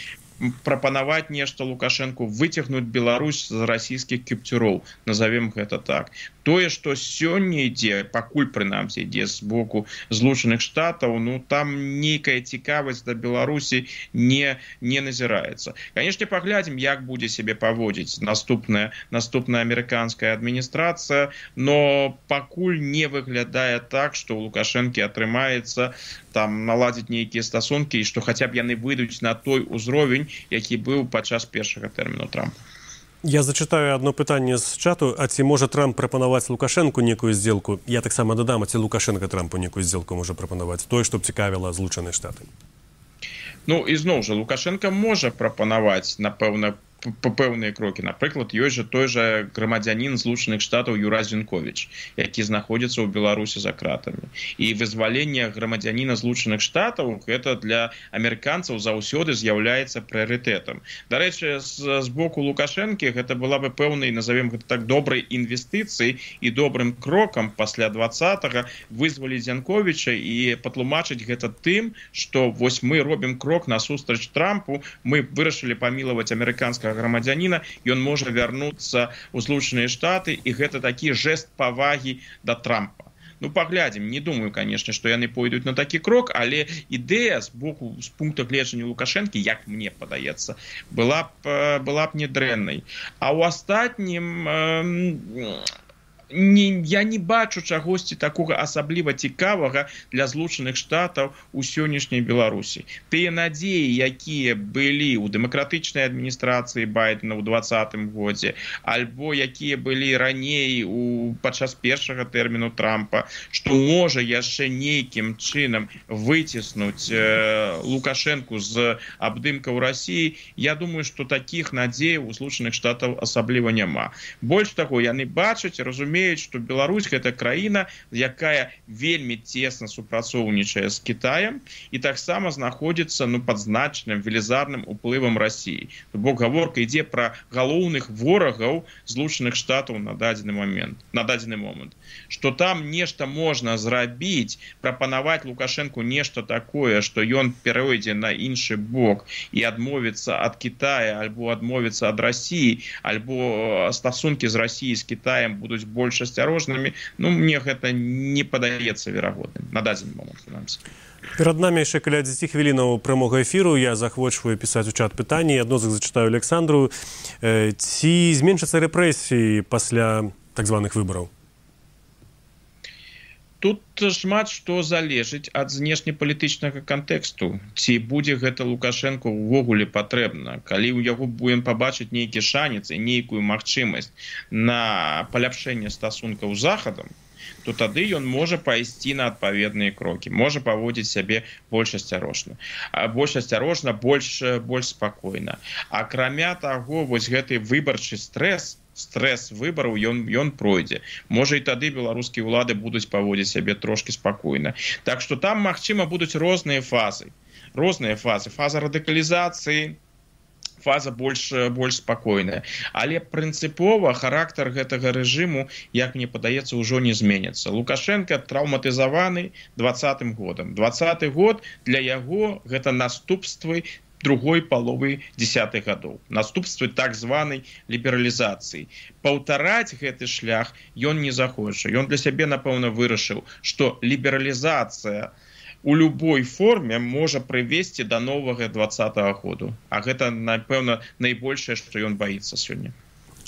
прапанаваць нешта Лукашэнку, выцягнуць Беларусь з расійскіх кіпцюроў, назовем гэта так. Тое, што сёння ідзе, пакуль прынамсі ідзе з боку Злучаных Штатаў, там нейкая цікавасць да Беларусі не назіраецца. Канешне, паглядзім, як будзе сябе паводзіць наступная амерыканская адміністрацыя, но пакуль не выглядае так, што ў Лукашэнкі атрымаецца там наладзіць нейкія стасункі і што хаця б яны выйдуць на той узровень, які быў падчас першага тэрміну Трампа. Я зачитаю одно пытанне з чату. А ці можа Трамп прапанаваць Лукашэнку некую здзелку? Я таксама дадам, а ці Лукашенко Трампу некую здзелку можа прапанаваць? Тое, што б цікавіла Злучаныя Штаты. Ну, і зноў жа, Лукашенко можа прапанаваць, напэўна, пэўныя крокі. Напрыклад, ёсць жа той жа грамадзянін Злучаных Штатаў Юра Зінковіч, які знаходзіцца ў Беларусі за кратамі. І вызваленне грамадзяніна Злучаных Штатаў гэта для амерыканцаў заўсёды з'яўляецца прыярытэтам. Дарэчы, з боку Лукашэнкі гэта была бы пэўнай, назовем гэта так, добрай інвестыцыяй і добрым крокам пасля 20-го вызваліць Зінковіча і патлумачыць гэта тым, што вось мы робім крок насустрач Трампу, мы вырашылі памілаваць амерыканскага грамадзяніна, ён можа вярнуцца ў Злучаныя Штаты, і гэта такі жэст павагі да Трампа. Ну, паглядзім, не думаю, канешне, што яны пойдуць на такі крок, але ідэя з боку, з пункта гледжання Лукашэнкі, як мне падаецца, была б не дрэннай. А ў астатнім я не бачу чагосьці такога асабліва цікавага для Злучаных Штатаў у сённяшняй Беларусі. Тыя надзеі, якія былі ў дэмакратычнай адміністрацыі Байдена ў 2020 годзе, альбо якія былі раней падчас першага тэрміну Трампа, што можа яшчэ нейкім чынам выціснуць Лукашэнку з абдымкаў Расіі, я думаю, што такіх надзеяў у Злучаных Штатаў асабліва няма. Больш таго, яны бачаць, разумеюць, што Беларусь гэта краіна, якая вельмі цесна супрацоўнічае з Кітаем і таксама знаходзіцца пад значным велізарным уплывам Расіі. То бок гаворка ідзе пра галоўных ворагаў Злучаных Штатаў на дадзены момант. Што там нешта можна зрабіць, прапанаваць Лукашэнку нешта такое, што ён перайдзе на іншы бок і адмовіцца ад Кітая, альбо адмовіцца ад Расіі, альбо стасункі з Расіяй з Кітаем будуць больш асцярожнымі, мне гэта не падаецца верагодным на дадзены момант. Перад намі яшчэ каля 10 хвілінаў прамога эфіру. Я захвочваю пісаць у чат пытанні. Адно з іх зачытаю Александру. Ці зменшацца рэпрэсіі пасля так званых выбараў? Тут шмат што залежыць ад знешнепалітычнага кантэксту. Ці будзе гэта Лукашэнку ўвогуле патрэбна. Калі ў яго будзем пабачыць нейкі шанец і нейкую магчымасць на паляпшэнне стасункаў з Захадам, то тады ён можа пайсці на адпаведныя крокі, можа паводзіць сябе больш асцярожна, больш спакойна. Акрамя таго, вось гэты выбарчы стресс выбараў ён пройдзе. Можа і тады беларускія ўлады будуць паводзіць сябе трошкі спакойна. Так што там, магчыма, будуць розныя фазы. Фаза радыкалізацыі, фаза больш спакойная. Але прынцыпова характар гэтага рэжыму, як мне падаецца, ўжо не зменіцца. Лукашенко траўматызаваны 20-м годам. 20-й год для яго гэта наступствы другой паловы 10-х гадоў. Наступствы так званай лібералізацыі. Паўтараць гэты шлях ён не захоча. Ён для сябе, напэўна, вырашыў, што лібералізацыя у любой форме можа прывесці да новага 20-го году. А гэта, напэўна, найбольшае, што ён баіцца сёння.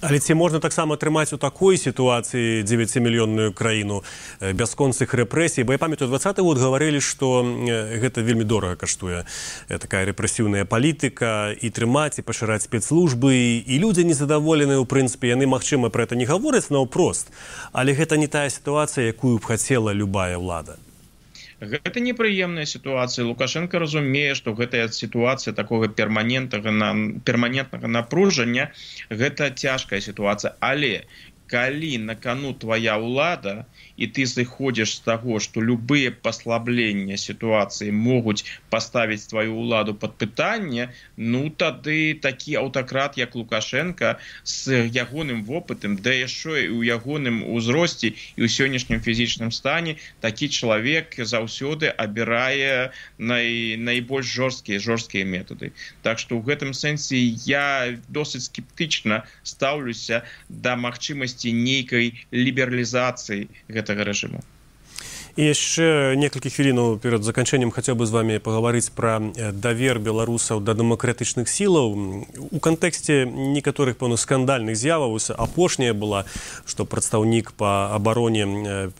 Але ці можна таксама трымаць у такой сітуацыі 9-мільённую краіну бясконцых рэпрэсій? Бо я памятаю, 20-й год гаварылі, што гэта вельмі дорага каштуе. Такая рэпрэсіўная палітыка, і трымаць, і пашыраць спецслужбы, і людзі незадаволеныя, у прынцыпе, яны, магчыма, пра гэта не гавораць наўпрост, але гэта не тая сітуацыя, якую б хацела любая ўлада. Гэта непрыемная сітуацыя. Лукашенко разумее, што гэтая сітуацыя такога перманентнага напружання, гэта цяжкая сітуацыя. Але калі на кону твоя ўлада, і ты зыходзіш з таго, што любыя паслаблення сітуацыі могуць паставіць твою ўладу пад пытанне, тады такі аўтакрат, як Лукашенко, з ягоным вопытам, да яшчэ і ў ягоным узросце і ў сённяшнім фізічным стане, такі чалавек заўсёды абірае найбольш жорсткія метады. Так што ў гэтым сэнсе я досыць скептычна стаўлюся да магчымасці нейкай лібералізацыі гэтага рэжыму. І яшчэ некалькі хвілінаў перад заканчэннем хацеў бы з вами пагаварыць пра давер беларусаў да дэмакратычных сілаў. У кантэксце некаторых, пэўна, скандальных з'яваў апошняя была, што прадстаўнік па абароне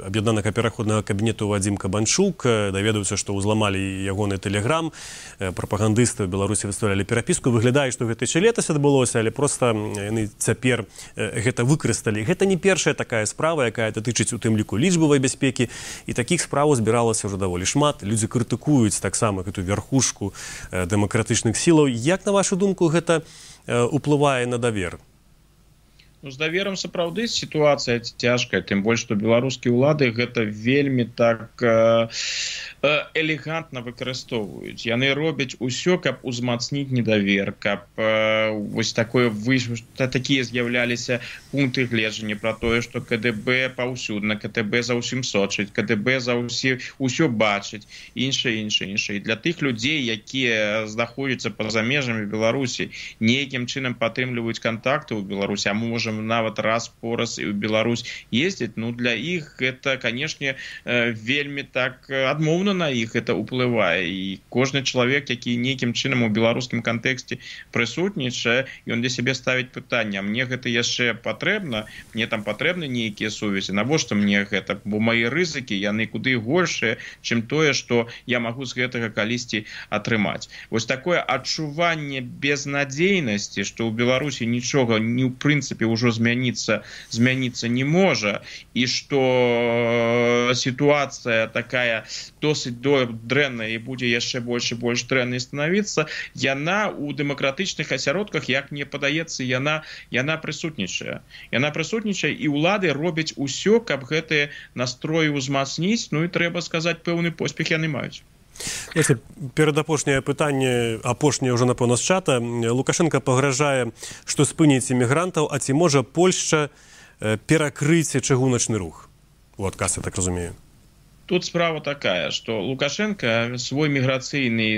аб'яднанага пераходнага кабінету Вадзім Кабанчук даведаўся, што ўзламалі ягоны тэлеграм, прапагандысты ў Беларусі выставлялі перапіску. Выглядае, што гэта яшчэ летась адбылося, але проста яны цяпер гэта выкарысталі. Гэта не першая такая справа, якая датычыць у тым ліку лічбавай бяспекі, і такіх справаў збіралася ўжо даволі шмат. Людзі крытыкуюць таксама гэту верхушку дэмакратычных сілаў. Як, на вашу думку, гэта уплывае на давер? Ну, з даверам сапраўды сітуацыя цяжкая, тым больш, што беларускія ўлады гэта вельмі так элегантна выкарыстоўваюць. Яны робяць усё, каб узмацніць недавер, каб вось такія з'яўляліся пункты гледжання пра тое, што КДБ паўсюдна, КДБ за ўсім сочыць, КДБ за ўсё бачыць, іншае. І для тых людзей, якія знаходзяцца па-за межамі Беларусі, нейкім чынам падтрымліваюць кантакты ў Беларусі, а можа нават раз-пораз і ў Беларусь ездзіць, ну для іх гэта, канешне, вельмі так адмоўна на іх это ўплывае. І кожны чалавек, які нейкім чынам у беларускім кантэксце прысутнічае, ён для сябе ставіць пытанне: а мне гэта яшчэ патрэбна? Мне там патрэбны нейкія сувязі? Навошта мне гэта? Бо мае рызыкі, яны куды горшыя, чым тое, што я магу з гэтага калісьці атрымаць. Вось такое адчуванне безнадзейнасці, што ў Беларусі нічога ні ў прынцыпе ўжо змяніцца не можа, і што сітуацыя такая досыць дрэнная і будзе яшчэ больш і больш дрэннай станавіцца, яна ў дэмакратычных асяродках, як мне падаецца, яна прысутнічае. Яна прысутнічае, і ўлады робяць усё, каб гэтыя настроі ўзмацніць, ну і трэба сказаць, пэўны поспех яны маюць. Перадапошняе пытанне, апошняе ўжо, напэўна, з чата. Лукашенко пагражае, што спыніць імігрантаў, а ці можа Польшча перакрыць чыгуначны рух? У адказ, я так разумею. Тут справа такая, што Лукашенко свой міграцыйны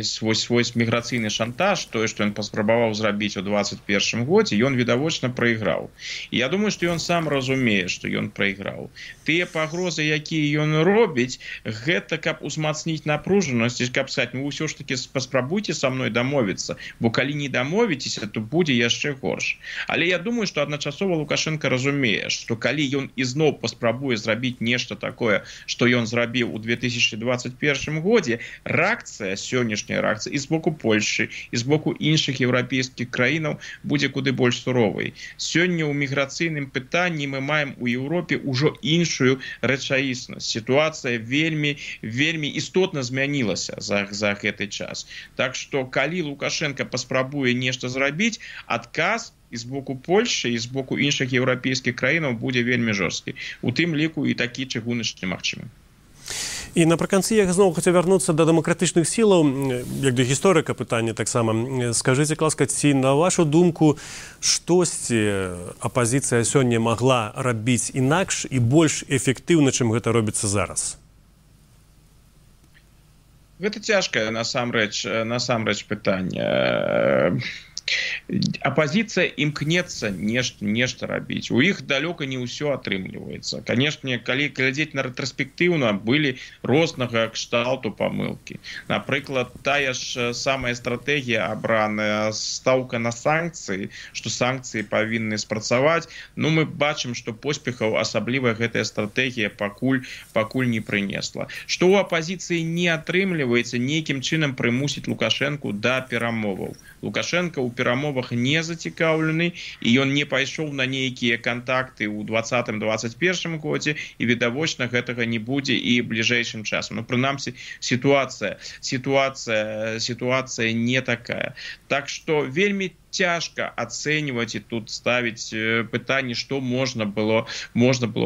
шантаж, тое, што ён паспрабаваў зрабіць у 2021 годзе, ён відавочна прайграў. І я думаю, што ён сам разумее, што ён прайграў. Тыя пагрозы, якія ён робіць, гэта каб узмацніць напружанасць, каб сказаць: ну ўсё ж такі паспрабуйце са мной дамовіцца, бо калі не дамовіцеся, то будзе яшчэ горш. Але я думаю, што адначасова Лукашенко разумее, што калі ён ізноў паспрабуе зрабіць нешта такое, што ён зрабіў у 2021 годзе, сённяшняя рэакцыя і з боку Польшчы, і з боку іншых еўрапейскіх краінаў будзе куды больш суровай. Сёння ў міграцыйным пытанні мы маем у Еўропе ўжо іншую рэчаіснасць. Сітуацыя вельмі істотна змянілася за гэты час. Так што, калі Лукашенко паспрабуе нешта зрабіць, адказ і з боку Польшчы, і з боку іншых еўрапейскіх краінаў будзе вельмі жорсткі. У тым ліку і такі чыгуначны магчымы. І напрыканцы я зноў хацеў вярнуцца да дэмакратычных сілаў, як да гісторыка пытання таксама. Скажыце, ласка, ці, на вашу думку, штосьці апазіцыя сёння магла рабіць інакш і больш эфектыўна, чым гэта робіцца зараз? Гэта цяжкае насамрэч пытанне. Апозіцыя імкнецца нешта рабіць. У іх далёка не ўсё атрымліваецца. Канешне, калі глядзець на рэтраспектыўна, былі рознага кшталту памылкі. Напрыклад, тая ж самая стратэгія абраная, стаўка на санкцыі, што санкцыі павінны спрацаваць. Ну, мы бачым, што поспехаў асабліва гэтая стратэгія пакуль не прынесла. Што ў апозіцыі не атрымліваецца, нейкім чынам прымусіць Лукашэнку да перамоваў. Лукашенко ў перамовах не зацікаўлены, і ён не пайшоў на нейкія кантакты ў 2020-2021 годзе, і відавочна гэтага не будзе і бліжэйшым часам. Ну, прынамсі, сітуацыя не такая. Так што вельмі цяжка ацэньваць і тут ставіць пытанне, што можна было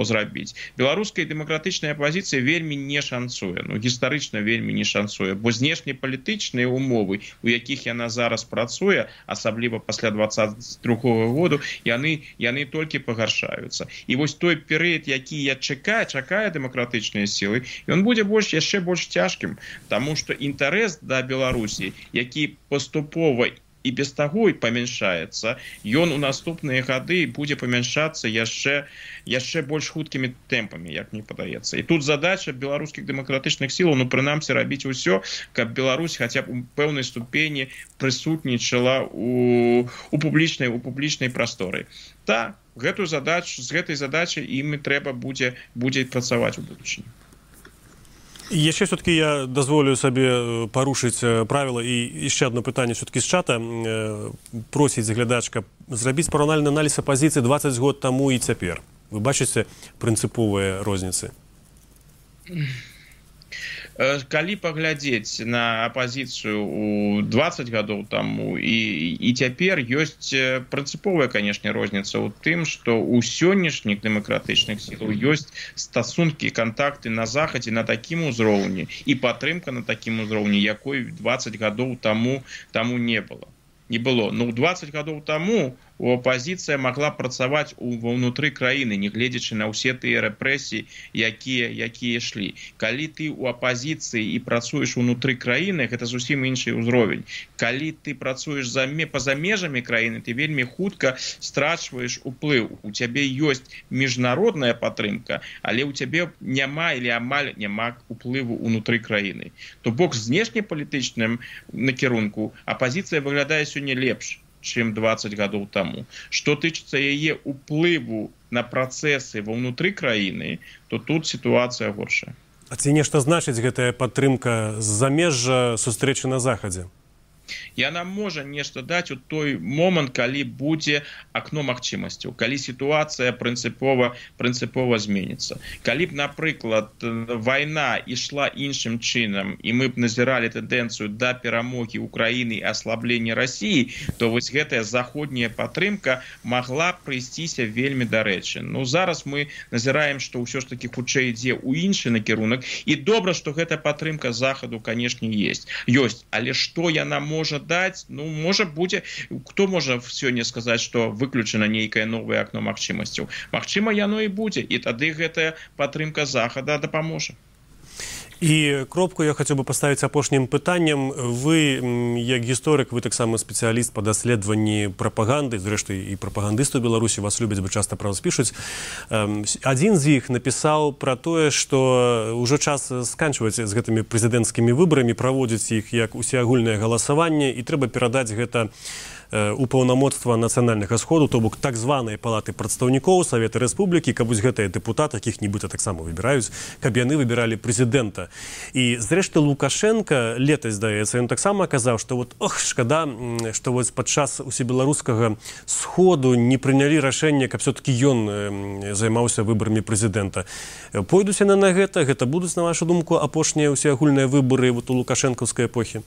зрабіць. Беларуская дэмакратычная апозіцыя вельмі не шанцуе, гістарычна вельмі не шанцуе, бо знешнепалітычныя умовы, у якіх яна зараз працуе, асабліва пасля 2022 году, яны толькі пагаршаюцца. І вось той перыяд, які чакае дэмакратычныя сілы, ён будзе яшчэ больш цяжкім, таму што інтарэс да Беларусі, які паступова і без таго і памяншаецца, ён у наступныя гады будзе памяншацца яшчэ больш хуткімі тэмпамі, як мне падаецца. І тут задача беларускіх дэмакратычных сілаў, прынамсі рабіць усё, каб Беларусь хаця б у пэўнай ступені прысутнічала у публічнай прасторы. Так, з гэтай задачай ім трэба будзе працаваць у будучыні. Яшчэ все-таки я дазволю сабе парушыць правіла і яшчэ одно пытанне все-таки з чата. Просіць глядачка зрабіць параўнальны аналіз апазіцыі 20 год таму і цяпер. Вы бачыце прынцыповыя розніцы? Калі паглядзець на апазіцыю у 20 гадоў таму і цяпер, ёсць прынцыповая, канешне, розніца ў тым, што ў сённяшніх дэмакратычных сілаў ёсць стасункі, кантакты на захадзе на такім узроўні і падтрымка на такім узроўні, якой 20 гадоў таму не было. Ну, 20 гадоў таму апазіцыя магла працаваць ўнутры краіны, не гледзячы на ўсе тыя рэпрэсіі, якія ішлі. Калі ты ў апазіцыі і працуеш унутры краіны, гэта зусім іншы ўзровень. Калі ты працуеш па-за межамі краіны, ты вельмі хутка страчваеш уплыў. У цябе ёсць міжнародная падтрымка, але ў цябе няма или амаль няма уплыву унутры краіны. То бок з знешнепалітычным накірунку апазіцыя выглядае сёння лепш, чым 20 гадоў таму. Што тычыцца яе ўплыву на працэсы ва ўнутры краіны, то тут сітуацыя горшая. А ці нешта значыць гэтая падтрымка з замежжа сустрэчы на захадзе? Яна можа нешта даць у той момант, калі будзе акно магчымасцяў, калі сітуацыя прынцыпова зменіцца. Калі б, напрыклад, вайна ішла іншым чынам, і мы б назіралі тэндэнцыю да перамогі Украіны і аслаблення Расіі, то вось гэтая заходняя падтрымка магла прыйсціся вельмі дарэчы. Ну, зараз мы назіраем, што ўсё ж такі хутчэй ідзе ў іншы накірунак, і добра, што гэтая падтрымка захаду, канешне, ёсць. Але што яна можа даць, можа будзе, хто можа сёння сказаць, што выключана нейкае новае акно магчымасцяў. Магчыма, яно і будзе, і тады гэтая падтрымка захада дапаможа. І кропку я хацеў бы паставіць апошнім пытаннем. Вы, як гісторык, вы таксама спецыяліст па даследаванні прапаганды, зрэшты, і прапагандысты ў Беларусі вас любяць, бо часта пра вас пішуць. Адзін з іх напісаў пра тое, што ўжо час сканчваць з гэтымі прэзідэнцкімі выбарамі, праводзіць іх як усеагульнае галасаванне, і трэба перадаць гэта у паўнамоцтва нацыянальнага сходу, то бок так званыя палаты прадстаўнікоў Савета Рэспублікі, каб вось гэтыя дэпутаты, якіх нібыта таксама выбіраюць, каб яны выбіралі прэзідэнта. І зрэшты Лукашенка летась, здаецца, ён таксама казаў, што шкада, што вось падчас усебеларускага сходу не прынялі рашэнне, каб все-таки ён займаўся выбарамі прэзідэнта. Пойдуць яны на гэта будуць, на вашу думку, апошнія усеагульныя выбары у лукашэнкаўскай эпохі?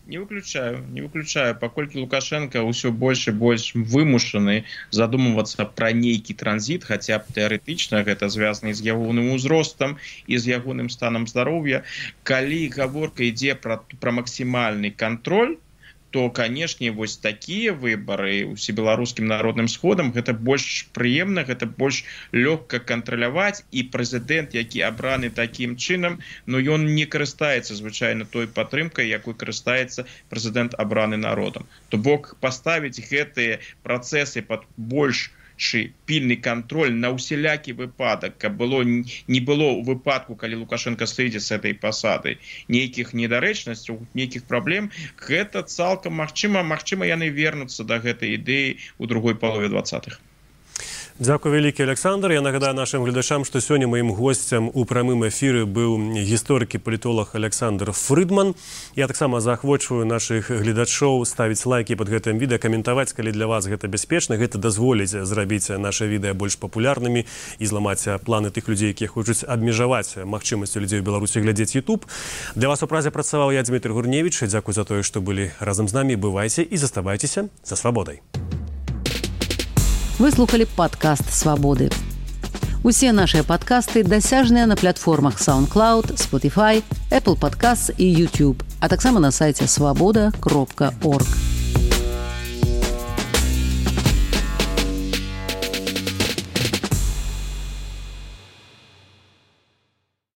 Не выключаю, паколькі Лукашенко ўсё больш і больш вымушаны задумвацца пра нейкі транзіт, хаця б тэарэтычна гэта звязана з ягоным узростам і з ягоным станам здароўя. Калі гаворка ідзе пра максімальны кантроль, то, канешне, вось такія выбары усебеларускім народным сходам, гэта больш прыемна, гэта больш лёгка кантраляваць, і прэзідэнт, які абраны такім чынам, ён не карыстаецца звычайна той падтрымкай, якой карыстаецца прэзідэнт абраны народам. То бок паставіць гэтыя працэсы пад больш пільны кантроль на ўсялякі выпадак, каб не было ў выпадку, калі Лукашенко сыдзе з этой пасады, нейкіх недарэчнасцяў, нейкіх праблем, гэта цалкам магчыма, яны вернуцца да гэтай ідэі ў другой палове 20-х. Дзякуй вялікі, Александр. Я нагадаю нашим глядачам, што сёння маім госцем у прамым эфіры быў гісторык і палітолог Александр Фрыдман. Я таксама заахвочваю нашых гледачоў ставіць лайкі пад гэтым відэа, каментаваць, калі для вас гэта бяспечна. Гэта дазволіць зрабіць наша відэа больш папулярнымі і зламаць планы тых людзей, якія хочуць абмежаваць магчымасці людзей у Беларусі глядзець YouTube. Для вас у празе працаваў я, Дмітрий Гурневіч. Дзякуй за тое, што былі разам з намі. Бывайце і заставайцеся за свабодай. Вы слухали падкаст «Свабоды». Усе нашыя падкасты дасяжныя на платформах SoundCloud, Spotify, Apple Podcasts і YouTube, а таксама на сайце swaboda.org.